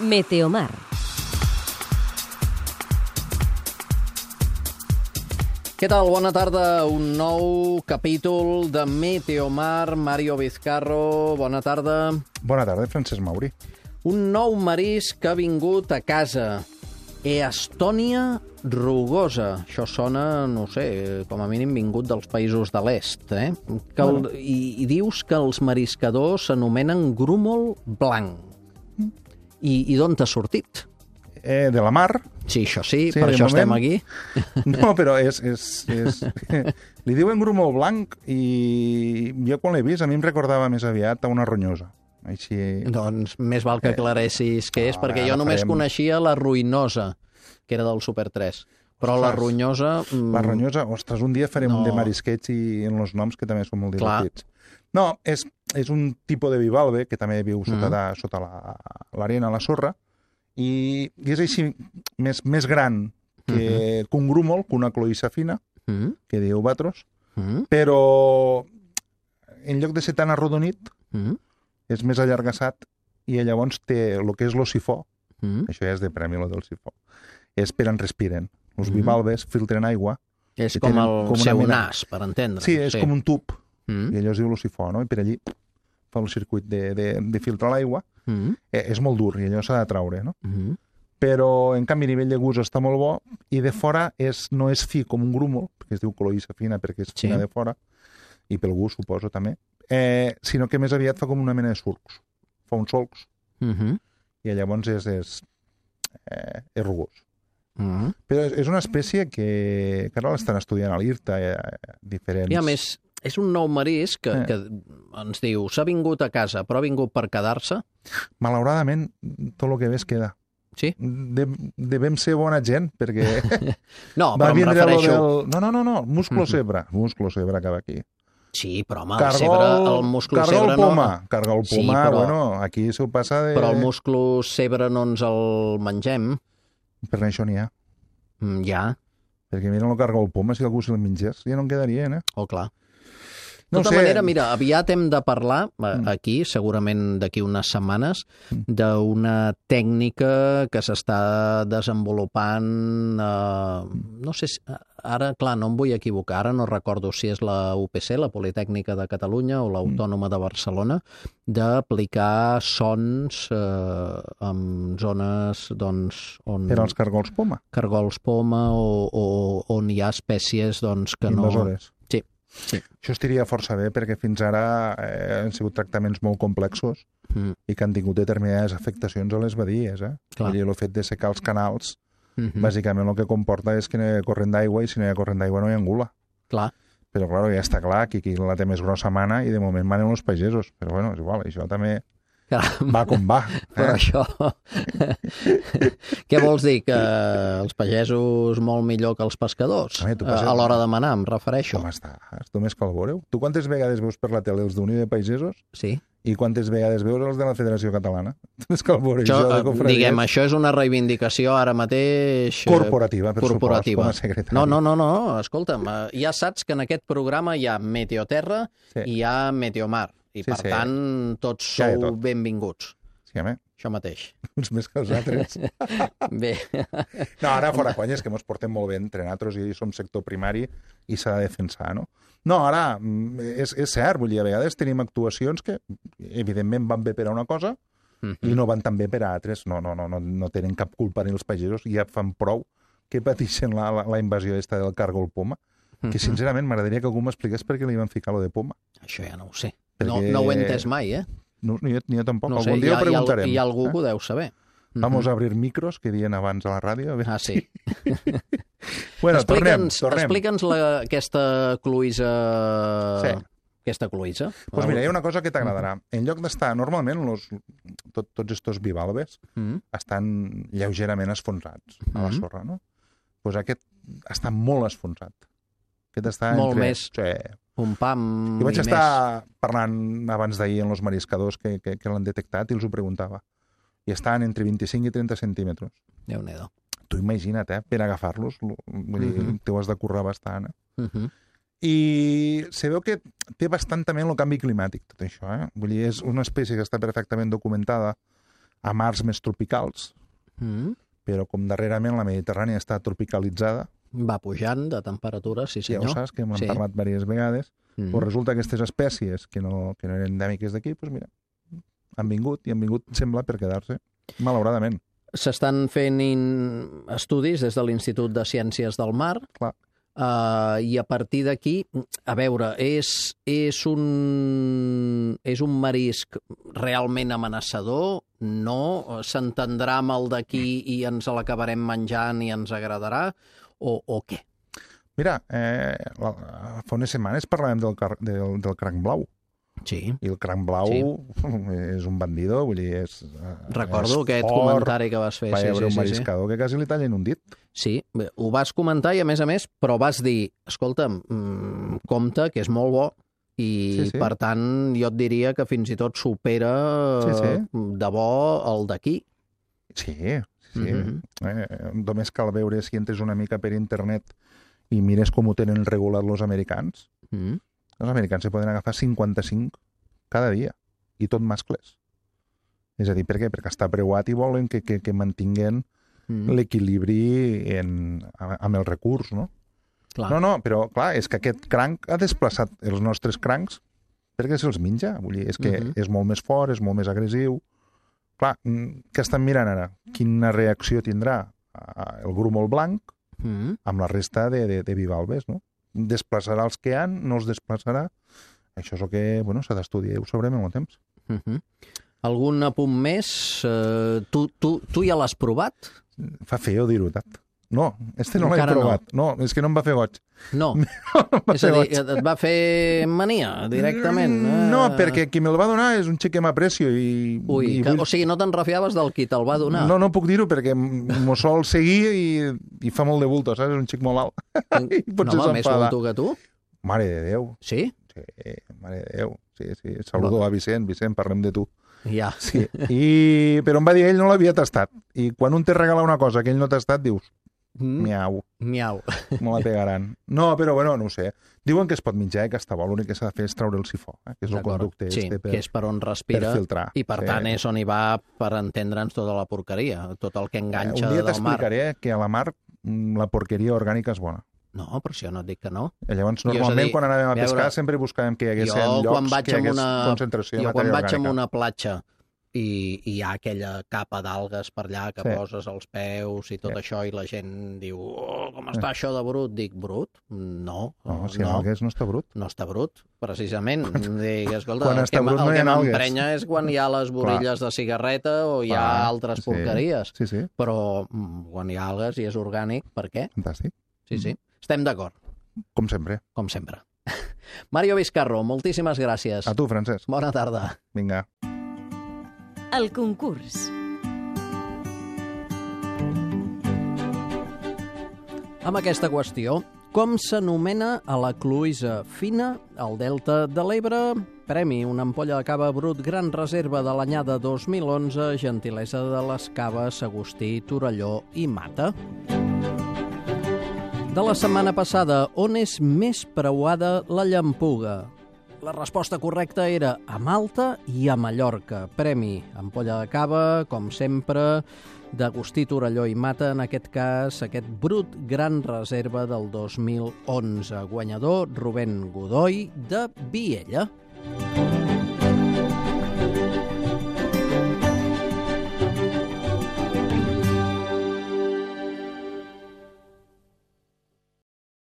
Meteomar. Què tal? Bona tarda. Un nou capítol de Meteomar. Mario Vizcarro, bona tarda. Bona tarda, Francesc Mauri. Un nou marisc que ha vingut a casa. Eastònia rugosa. Això sona, no sé, com a mínim vingut dels països de l'est, eh? I dius que els mariscadors s'anomenen grúmol blanc. I d'on t'ha sortit? De la mar. Sí, això sí, per això estem aquí. No, però és... Li diuen grúmol blanc i jo quan l'he vist a mi em recordava més aviat a una ronyosa. Així... Doncs més val que aclaressis què és, perquè jo només coneixia la ruïnosa, que era del Super 3. Però la ronyosa... La ronyosa, ostres, un dia farem un de marisquets i en els noms que també són molt divertits. No, és un tipus de bivalve que també viu sota l'arena, la sorra, i és així més gran que un grúmol, que una cloïssa fina, que diu batros, però en lloc de ser tan arrodonit, és més allargassat i llavors té el que és lo sifó, això ja és de premi, lo del sifó, és per on respiren. Els bivalves filtren aigua. És com el seu nas, per entendre. Sí, és com un tub, i allò es diu lo sifó, no? I per allí fa el circuit de filtrar l'aigua. És molt dur i allò s'ha de traure, no? Però, en canvi, a nivell de gust està molt bo i de fora no és fi com un grúmol, perquè es diu cloïssa fina perquè és fina de fora, i pel gust, suposo, també, sinó que més aviat fa com una mena de surcs. Fa uns solcs i llavors és rugós. Però és una espècie que ara l'estan estudiant a l'IRTA, diferents... I a més, és un nou marisc que ens diu s'ha vingut a casa, però ha vingut per quedar-se? Malauradament, tot el que ves queda. Sí? Devem ser bona gent, perquè... No, però em refereixo... No, musclo cebre. Musclo cebre acaba aquí. Sí, però home, el musclo cebre no... Carga el poma, bueno, aquí s'ho passa de... Però el musclo cebre no ens el mengem. Per això n'hi ha. Ja. Perquè mira, no carga el poma, si algú se'l mengés, ja no en quedarien, eh? Oh, clar. De tota manera, mira, aviat hem de parlar aquí, segurament d'aquí unes setmanes, d'una tècnica que s'està desenvolupant, no sé, ara, clar, no em vull equivocar, ara no recordo si és la UPC, la Politècnica de Catalunya, o l'Autònoma de Barcelona, d'aplicar sons en zones, doncs, on... Per als cargols poma. Cargols poma, o on hi ha espècies, doncs, que no... Invasores. Sí. Això estiria força bé perquè fins ara han sigut tractaments molt complexos i que han tingut determinades afectacions a les badies. Vull dir, el fet de secar els canals, bàsicament el que comporta és que no hi ha corrent d'aigua i si no hi ha corrent d'aigua no hi ha angula. Clar. Però, clar, ja està clar que qui la té més grossa mana i de moment manen els pagesos. Però, bueno, és igual, això també... Va com va. Però això... Què vols dir? Que els pagesos molt millor que els pescadors? A l'hora de manar, em refereixo. Com estàs? Tu més que el veureu. Tu quantes vegades veus per la tele els d'Unió de Pagesos? Sí. I quantes vegades veus els de la Federació Catalana? Tu més que el veureu. Diguem, això és una reivindicació ara mateix... Corporativa, per supost, com a secretari. No, escolta'm, ja saps que en aquest programa hi ha Meteoterra i hi ha Meteomar. I, per tant, tots sou benvinguts. Sí, home. Això mateix. Uns més que els altres. Bé. No, ara fora conyes, que ens portem molt bé entre nosaltres i som sector primari i s'ha de defensar, no? No, ara, és cert, vull dir, a vegades tenim actuacions que, evidentment, van bé per a una cosa i no van tan bé per a altres. No tenen cap culpa ni els pagesos, ja fan prou que pateixen la invasió del cargol poma, que, sincerament, m'agradaria que algú m'expliqués per què li van ficar lo de poma. Això ja no ho sé. No ho he entès mai, No, ni jo tampoc. No sé, algun dia ho preguntarem. Hi ha algú que ho deu saber. Vamos a abrir micros, que diuen abans a la ràdio. Ah, sí. Bueno, tornem. Explica'ns aquesta cloïssa... Sí. Aquesta cloïssa. Doncs mira, hi ha una cosa que t'agradarà. En lloc d'estar... Normalment, tots estos bivalves estan lleugerament esfonsats a la sorra, no? Doncs aquest està molt esfonsat. Aquest està molt més... Un pam i vaig estar parlant abans d'ahir amb els mariscadors que l'han detectat i els ho preguntava. I estaven entre 25 i 30 centímetres. Déu-n'hi-do. Tu imagina't, per agafar-los, vull dir, t'ho has de currar bastant. I se veu que té bastant també el canvi climàtic, tot això. Vull dir, és una espècie que està perfectament documentada a mars més tropicals, però com darrerament la Mediterrània està tropicalitzada... Va pujant de temperatura, sí senyor. Ja ho saps, que hem parlat diverses vegades. Pues resulta que aquestes espècies que no eren endèmiques d'aquí, doncs mira, han vingut, i han vingut, sembla, per quedar-se, malauradament. S'estan fent estudis des de l'Institut de Ciències del Mar. Clar. I a partir d'aquí, a veure, és un marisc realment amenaçador? No? S'entendrà amb el d'aquí i ens l'acabarem menjant i ens agradarà? O què? Mira, fa unes setmanes parlàvem del cranc blau. Sí. I el cranc blau és un bandido, vull dir, Recordo aquest comentari que vas fer. Va haver un mariscador que quasi li tallen un dit. Sí, ho vas comentar i, a més, però vas dir, escolta'm, compte, que és molt bo, i per tant jo et diria que fins i tot supera de bo el d'aquí. Sí. Només cal veure si entres una mica per internet i mires com ho tenen regulat els americans. Els americans se poden agafar 55 cada dia, i tot mascles. És a dir, per què? Perquè està preuat i volen que mantinguen l'equilibri amb el recurs, no? Clar. No, però clar, és que aquest cranc ha desplaçat els nostres crancs perquè se'ls menja. Vull dir, és que és molt més fort, és molt més agressiu. Clar, què estan mirant ara? Quina reacció tindrà el grúmol blanc amb la resta de bivalves, no? Desplaçarà els que han, no els desplaçarà. Això és el que s'ha d'estudiar, ho sabrem en el temps. Algun apunt més? Tu ja l'has provat? Fa feo dir-ho, Tat. No, no l'he provat. No, és que no em va fer goig. No. És a dir, et va fer mania, directament. No, perquè qui me'l va donar és un xic que m'aprecio. O sigui, no te'n refiaves del qui te'l va donar? No puc dir-ho perquè m'ho sol seguir i fa molt de bulto, saps? És un xic molt alt. No, més bulto que tu? Mare de Déu. Sí? Sí, mare de Déu. Sí. Saludo a Vicent, parlem de tu. Ja. Sí. Però em va dir que ell no l'havia tastat. I quan un te regala una cosa que ell no ha tastat, dius, miau. Me la pegaran. No, però no ho sé. Diuen que es pot menjar, que està bo, l'únic que s'ha de fer és treure el sifó, que és el conducte que és per on respira, per filtrar. I per tant és on hi va, per entendre'ns, tota la porqueria, tot el que enganxa del mar. Un dia t'explicaré que a la mar la porqueria orgànica és bona. No, però si jo no et dic que no. Llavors, normalment, quan anàvem a pescar, sempre buscàvem que hi hagués llocs que hi hagués concentració de matèria orgànica. Jo, quan vaig a una platja i hi ha aquella capa d'algues per allà que poses els peus i tot això, i la gent diu, com està això de brut? Dic, brut? No. Si en algues no està brut. No està brut, precisament. Dic, escolta, el que m'emprenya és quan hi ha les borilles de cigarreta o hi ha altres porqueries. Però quan hi ha algues i és orgànic, per què? Fantàstic. Sí. Estem d'acord. Com sempre. Com sempre. Mario Vizcarro, moltíssimes gràcies. A tu, Francesc. Bona tarda. Vinga. El concurs. Amb aquesta qüestió, com s'anomena a la cloïssa fina al Delta de l'Ebre? Premi, una ampolla de cava brut Gran Reserva de l'anyada 2011, gentilesa de les caves Agustí, Torelló i Mata. De la setmana passada, on és més preuada la llampuga? La resposta correcta era a Malta i a Mallorca. Premi, ampolla de cava, com sempre, d'Agustí, Torelló i Mata, en aquest cas, aquest brut Gran Reserva del 2011. Guanyador, Rubén Godoy, de Viella.